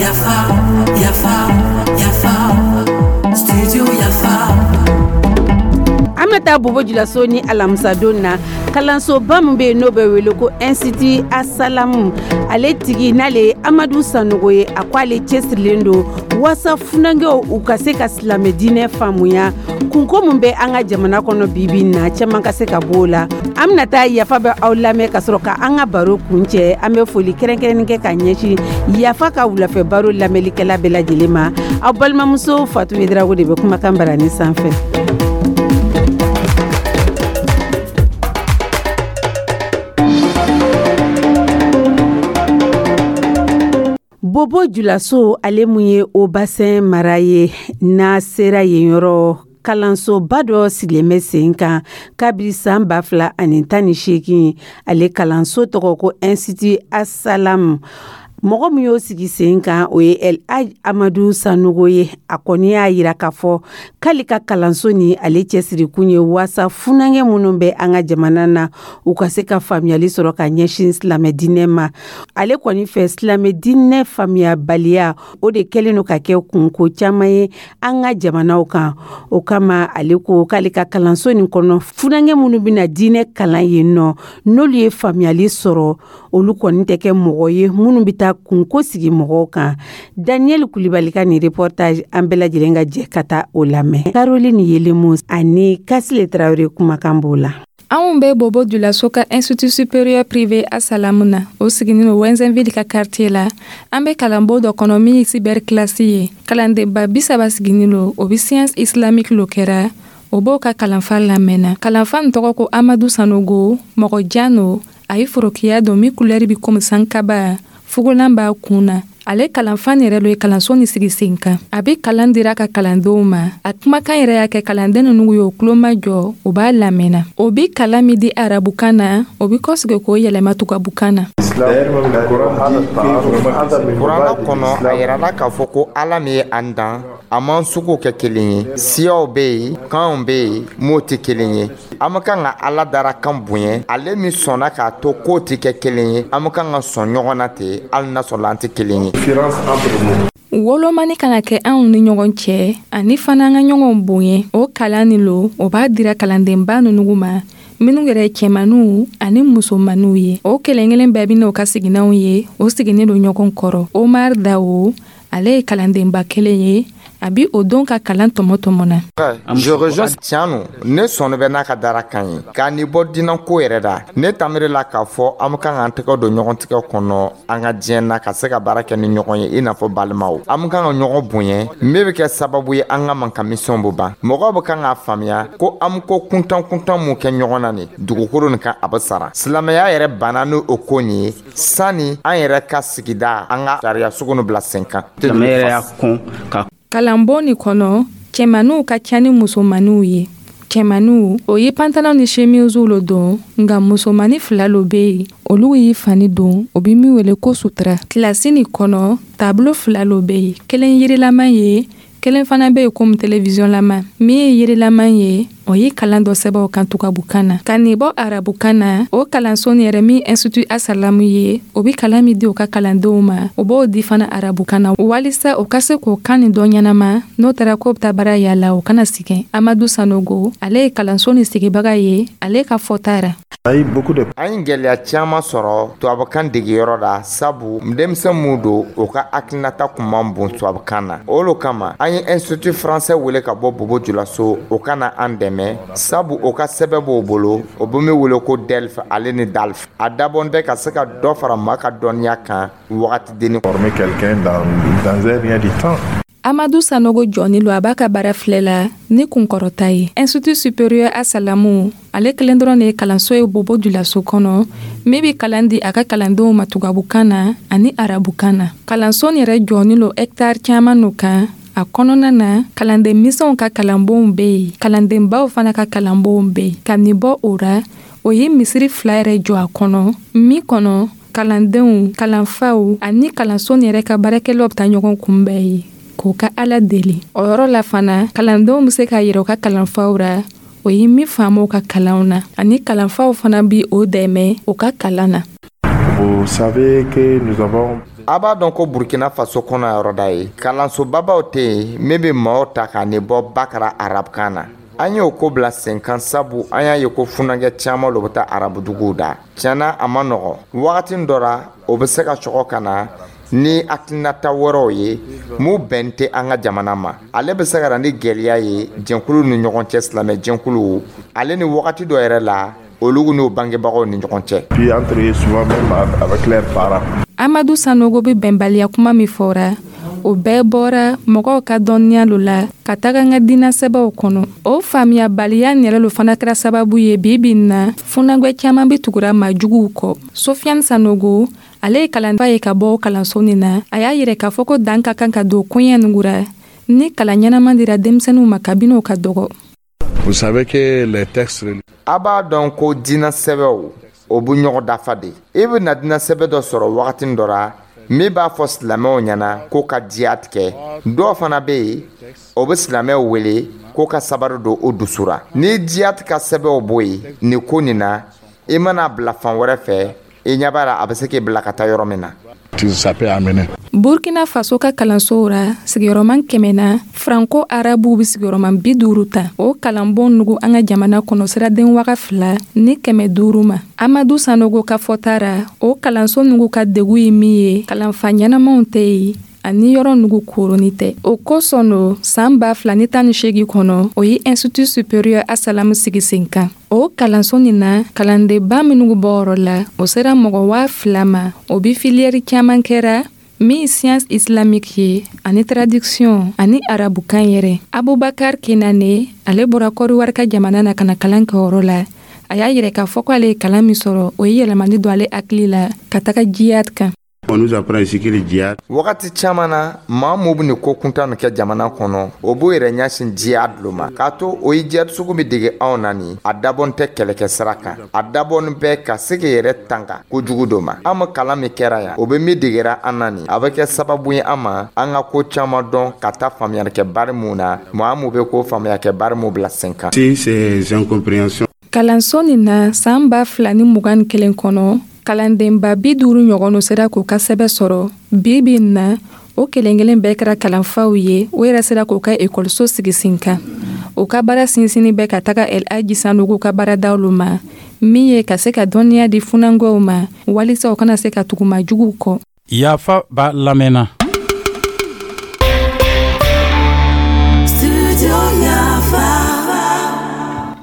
Yafa, yafa, yafa, studio Yafa. An bɛ taa Bobo Julaso ni alamisadon na, kalansoba min bɛ yen, n'o bɛ wele ko Institut Asalamu, ale tigi n'ale ye Amadu Sanogo ye, a ko ale cɛsirilen don waasa funankɛw u ka se ka silamɛ diinɛ faamuya. Kunko min bɛ an ka jamana kɔnɔ bibi na, caman ka se ka bɔ o la. An bɛna taa Yafa bɛ aw lamɛn ka sɔrɔ ka an ka baro kun cɛ. An bɛ foli kɛrɛnkɛrɛnnen kɛ ka ɲɛsin Yafa ka wulafɛ baro lamɛnlikɛla bɛɛ lajɛlen ma. Aw balimamuso Fatu Edrago de bɛ kumakan barani sanfɛ. Bobo Julaso, ale mun ye Haut-Bassin mara ye, n'a sera yen yɔrɔ, kalansoba dɔ sigilen bɛ sen kan kabiri san 2018. Ale kalanso tɔgɔ ko Institut Asalam. Mɔgɔ min y'o sigi sen kan, o ye El Hadj Amadu Sanogo ye. A kɔni y'a yira k'a fɔ k'ale ka kalanso ni ale cɛsirikun ye waasa funankɛ minnu bɛ an ka jamana na, u ka se ka faamuyali sɔrɔ ka ɲɛsin silamɛ diinɛ ma. Ale kɔni fɛ, silamɛ diinɛ faamuyabaliya, o de kɛlen don ka kɛ kunko caman ye an ka jamanaw kan. O kama, ale ko k'ale ka kalanso nin kɔnɔ, funankɛ minnu bɛna diinɛ kalan yen nɔ, n'olu ye faamuyali sɔrɔ, olu kɔni tɛ kɛ mɔgɔ ye minnu bɛ taa kunko sigi mɔgɔw kan. Daniel Kulibali ka nin reportage, an bɛɛ lajɛlen ka jɛ ka taa o lamɛn. Caroline Yelemo ani Kasile Tarawele kumakan b'o la. Anw bɛ Bobo Julaso ka Institut supérieur privé Asalamu na, o siginin no Wɛnzɛnville ka quartier la. An bɛ kalanbo dɔ kɔnɔ min ye cyber classe ye. Kalandenba 30 siginin lo, o bɛ science islamique lo kɛra, o b'o ka kalanfa lamɛnna. Kalanfa nin tɔgɔ ko Amadu Sanogo. Mɔgɔ jan no, a ye forokiya don min couleur bi komi sankaba, fugolan b'a kun na. Ale kalanfa nin yɛrɛ lo ye kalanso ni sigi sen kan. A bɛ kalan dira ka kalandenw ma. A kumakan yɛrɛ y'a kɛ kalanden ninnu ye o tuloma jɔ, o b'a lamɛnna. O bɛ kalan min di arabukan na, o bɛ kɔsigi k'o yɛlɛma tubabukan na. Kuranɛ kɔnɔ, a yirala k'a fɔ ko Ala min ye an dan, a m'an suguw kɛ kelen ye. Siyaw bɛ yen, kanw bɛ yen, m'o tɛ kelen ye. An bɛ kan ka Ala darakan bonya, ale min sɔnna k'a to k'o tɛ kɛ kelen ye. An bɛ kan ka sɔn ɲɔgɔn na ten, hali n'a sɔrɔ an tɛ kelen ye. Wolomani kana kɛ anw ni ɲɔgɔn cɛ, ani fana an ka ɲɔgɔn bonya, o kalan nin lo, o b'a dira kalandenba ninnu ma, minnu yɛrɛ ye cɛmaninw ani musomaninw ye. O kelen kelen bɛɛ bɛ n'o ka siginanw ye, o siginnen don ɲɔgɔn kɔrɔ. Omar Dawo, ale ye kalandenba kelen ye, a bi o don ka kalan tɔmɔ tɔmɔ na. Je rejoins. Tiɲɛ no, ne sɔnni bɛ n'a ka darakan ye k'a ni bɔ dinako yɛrɛ da. Ne tamiri la k'a fɔ an bɛ kan k'an tɛgɛ don ɲɔgɔn tigɛ kɔnɔ an ka diɲɛ na, ka se ka baara kɛ ni ɲɔgɔn ye i n'a fɔ balimaw. An bɛ kan ka ɲɔgɔn bonya, min bɛ kɛ sababu ye an ka mankanmisɛnw bɛ ban. Mɔgɔw bɛ kan k'a faamuya ko an bɛ ko kuntan kuntan mun kɛ ɲɔgɔn na nin dugukolo nin kan, a bɛ sara. Silamɛya yɛrɛ banna ni o ko nin ye, sani an yɛrɛ ka sigida, an ka sariya sugu nin bila sen kan. Silamɛya yɛrɛ y'a kɔn ka Kalanbon nin kɔnɔ, cɛmaninw ka ca ni musomaninw ye. Cɛmaninw, o ye pantalon ni chemise lo don, nka musomani fila lo bɛ yen, olu y'i fani don, o bɛ min wele ko sutura. Kilasi nin kɔnɔ, tableau fila lo bɛ yen, kelen yirilama ye, kelen fana bɛ yen komi télévision lama. Min ye yirilama ye, o ye kalan dɔ sɛbɛn o kan tubabukan na, ka nin bɔ arabukan na. O kalanso nin yɛrɛ min Institut Asalamu ye, o bɛ kalan min di o ka kalandenw ma, o b'o di fana arabukan na, walisa o ka se k'o kan nin dɔn ɲɛnama, n'o taara k'o bɛ taa baara yala, o kana sigɛn. Amadu Sanogo, ale ye kalanso nin sigibaga ye, ale ka fɔta ra. An ye gɛlɛya caman sɔrɔ tubabukan degeyɔrɔ la, sabu denmisɛn mun don, o ka hakilinata kun man bon tubabukan na. O lo kama an ye Institut français wele ka bɔ Bobo Julaso, o ka na an dɛmɛ, sabu o ka sɛbɛn b'o bolo, o bɛ min wele ko DELF ale ni DALF. A dabɔn bɛ ka se ka dɔ fara maa ka dɔnniya kan wagati denni. Former quelqu'un dans un rien du temps. Amadu Sanogo jɔni lo, a b'a ka baara filɛ la ni kunkɔrɔta ye. Institut supérieur Asalamu, ale kelen dɔrɔn de ye kalanso ye Bobo Julaso kɔnɔ min bɛ kalan di a ka kalandenw ma tubabukan na ani arabukan na. Kalanso nin yɛrɛ jɔni lo hectare caman no kan. A kɔnɔna na, kalanden misɛnw ka kalanbonw bɛ yen, kalandenbaw fana ka kalanbonw bɛ yen. Ka nin bɔ o ra, o ye misiri fila yɛrɛ jɔ a kɔnɔ, min kɔnɔ kalandenw, kalanfaw ani kalanso nin yɛrɛ ka baarakɛlaw bɛ taa ɲɔgɔn kunbɛn yen k'o ka Ala deli. O yɔrɔ la fana, kalandenw bɛ se k'a yira u ka kalanfaw ra. O ye min faamu ka kalanw na, ani kalanfaw fana bi o dɛmɛ o ka kalan na. Vous savez que nous avons A b'a dɔn ko Burkina Faso kɔnɔ yɔrɔda ye kalansobabaw tɛ yen min bɛ maaw ta ka nin bɔ bakara arabukan na. An y'o ko bila sen kan, sabu an y'a ye ko funankɛ caman lo bɛ taa arabuduguw da. Tiɲɛna, a ma nɔgɔ. Wagati dɔ la, o bɛ se ka sɔgɔ ka na ni hakilinata wɛrɛw ye mun bɛn tɛ an ka jamana ma. Ale bɛ se ka na ni gɛlɛya ye jɛnkulu ni ɲɔgɔn cɛ, silamɛ jɛnkuluw ale ni wagati dɔ yɛrɛ la, olu n'o bangebagaw ni ɲɔgɔn cɛ. Puis entre eux, souvent même avec leurs parents. Amadu Sanogo bɛ bɛnbaliya kuma min fɔra, o bɛɛ bɔra mɔgɔw ka dɔnniya lo la ka taga n ka diinɛ sɛbɛw kɔnɔ. O faamuyabaliya yɛrɛ lo fana kɛra sababu ye bi bi in na, funagwɛ caman bɛ tugura maajuguw kɔ. Sofiane Sanogo, ale ye kalanfa ye ka bɔ kalanso nin na. A y'a yɛrɛ k'a fɔ ko dan ka kan ka don koɲɛ nugura ni kalan ɲɛnaman dira denmisɛnninw ma kabini o ka dɔgɔ. Vous savez que les textes A b'a dɔn ko diinɛ sɛbɛw, o bɛ ɲɔgɔn dafa de. I bɛ na diinɛ sɛbɛ dɔ sɔrɔ wagati dɔ la min b'a fɔ silamɛw ɲɛna ko ka diya tigɛ. Dɔw fana bɛ yen, o bɛ silamɛw wele ko ka sabari don o dusura. Ni diya ka sɛbɛnw bɔ yen nin ko nin na, i mana bila fan wɛrɛ fɛ, i ɲɛ b'a la, a bɛ se k'i bila ka taa yɔrɔ min na. Ça peut amener. Burkina Faso ka kalansow ra, sigiyɔrɔman 100 na, franco arabuw be sigiyɔrɔman 50 ta. O kalanbon nugu an ka jamana kɔnɔ siraden 2500 ma. Amadu Sanogo ka fɔta ra, o kalanso nugu ka degu ye min ye, kalanfa ɲɛnamaw tɛ yen ani yɔrɔ nugu koroni tɛ. O kosɔn no, saan 2018 kɔnɔ, o ye Institut supérieur Asalamu sigi sen kan. O kalanso nin na, kalandenba minnu bɔyɔrɔ la, o sera mɔgɔ 2000 ma. O bi filière caman kɛra min science islamique ye, ani traduction, ani arabukan yɛrɛ. Abubakar Kenane, ale bɔra Kɔdiwari ka jamana na ka na kalan kɛ yɔrɔ la. A y'a yɛrɛ k'a fɔ ko ale ye kalan min sɔrɔ, o ye yɛlɛmani don ale hakili la ka taga jihad kan. On nous apprend ici que le djihad Wagati caman na, maa mun bɛ nin ko kuntan nin kɛ jamana kɔnɔ, o b'o yɛrɛ ɲɛsin jihad lo ma, k'a to o ye jihad sugu min dege anw na nin, a dabɔn tɛ kɛlɛkɛ sira kan, a dabɔn bɛ ka se k'i yɛrɛ tanga kojugu dɔ ma. An ma kalan min kɛra yan, o bɛ min degera an na nin, a bɛ kɛ sababu ye an ma an ka ko caman dɔn ka taa faamuyali kɛ bari mun na, maa mun bɛ ko faamuya kɛ bari mun bila sen kan. Si ces incompréhensions Kalanso nin na, saan 2021 kɔnɔ, kalandenba 50 ɲɔgɔn no sera k'u ka sɛbɛ sɔrɔ. Bi bi in na, o kelen kelen bɛɛ kɛra kalanfaw ye. O yɛrɛ sera k'u ka ekɔliso sigi sen kan. O ka baara sinsinni bɛ ka taga El Aji Sanogo ka baaradaw ma, min ye ka se ka dɔnniya di funangɔw ma walisa u kana se ka tugu majuguw kɔ. Yafa b'a lamɛnna. Studio Yafa.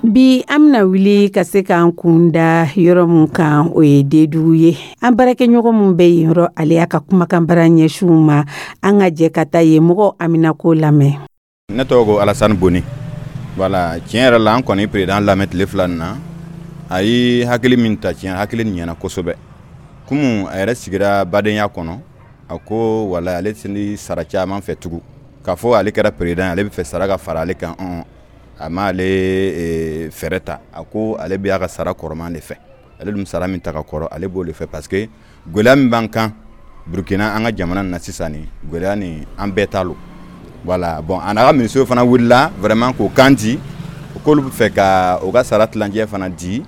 Bi, an bɛna wuli ka se k'an kun da yɔrɔ mun kan, o ye Dedugu ye. An baarakɛɲɔgɔn min bɛ yen yɔrɔ, ale y'a ka kumakan bara ɲɛsinw ma. An ka jɛ ka taa yen mɔgɔw aminako lamɛn. Ne tɔgɔ ko Alasani Boni. Voilà, tiɲɛ yɛrɛ la, an kɔni président lamɛn tile 2 nin na. A ye hakili min ta, tiɲɛ, hakili nin ɲɛna kosɛbɛ. Komi a yɛrɛ sigira badenya kɔnɔ, a ko wala ale tɛ ni sara caman fɛ tugun, k'a fɔ ale kɛra président, ale bɛ fɛ sara ka fara ale kan. A m'ale fɛɛrɛ ta. A ko ale bɛ a ka sara kɔrɔman de fɛ. Ale dun sara min ta ka kɔrɔ, ale b'o de fɛ, parce que gɛlɛya min b'an kan Burukina, an ka jamana na sisan, nin gɛlɛya nin, an bɛɛ ta lo. Voilà, bon, a n'a ka ministre fana wulila vraiment k'o kan di k'olu bɛ fɛ ka u ka sara tilancɛ fana di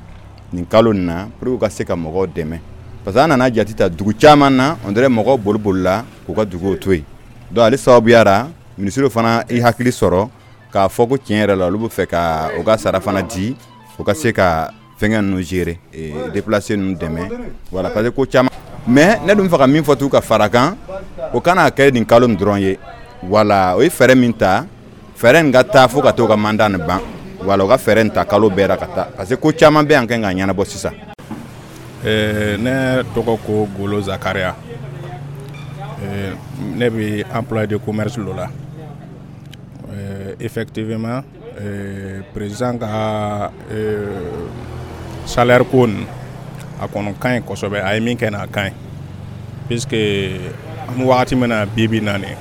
nin kalo nin na pour que u ka se ka mɔgɔw dɛmɛ, parce que an nana jate ta dugu caman na, on dirait mɔgɔw boli bolila k'u ka duguw to yen. Donc ale sababuya la, ministre fana i hakili sɔrɔ k'a fɔ ko tiɲɛ yɛrɛ la, olu bɛ fɛ ka u ka sara fana di, u ka se ka fɛnkɛ ninnu gérer, déplacer ninnu dɛmɛ. Voilà, parce que ko caman. Mais ne dun fɛ ka min fɔ tugun ka fara kan, o kana kɛ nin kalo nin dɔrɔn ye. Voilà, o ye fɛɛrɛ min ta, fɛɛrɛ nin ka taa fo ka t'o ka mandat nin ban. Voilà, u ka fɛɛrɛ nin ta kalo bɛɛ la ka taa, parce que ko caman bɛ yan kan ka ɲɛnabɔ sisan. Ne tɔgɔ ko Golo Zakaria. Ne bɛ employé de commerce lo la. Effectivement, président ka salaire ko nin, a kɔni ka ɲi kosɛbɛ. A ye min kɛ nin, a ka ɲi, puisque an bɛ wagati min na bi bi in na nin,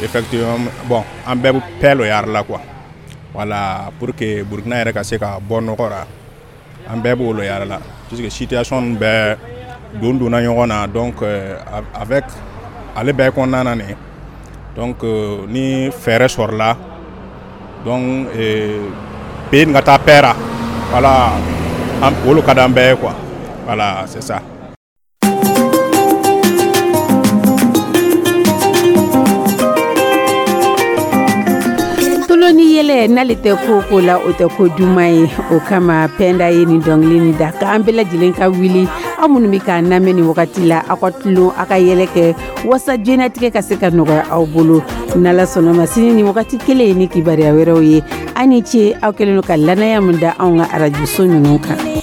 effectivement, bon, an bɛɛ bɛ paix lo yari la quoi. Voilà, pour que Burukina yɛrɛ ka se ka bɔ nɔgɔ la, an bɛɛ b'o lo yari la, puisque situation bɛɛ don donna ɲɔgɔn na. Donc avec ale bɛɛ kɔnɔna na nin, donc ni fɛɛrɛ sɔrɔla, donc Pays nin ka taa paix ra, voilà, o le ka d'an bɛɛ ye quoi. Voilà, c'est ça. Tulon ni yɛlɛ n'ale tɛ ko ko la, o tɛ ko duman ye. O kama Pɛnda ye nin dɔnkili nin da k'an bɛɛ lajɛlen ka wuli. Aw minnu bɛ k'an lamɛn nin wagati la, aw ka tulon, aw ka yɛlɛ kɛ wasa diɲɛnatigɛ ka se ka nɔgɔya aw bolo. N'Ala sɔnna ma, sini ni wagati kelen ye ni kibaruya wɛrɛw ye. Aw ni ce, aw kɛlen don ka lanaya min da anw ka arajoso ninnu kan.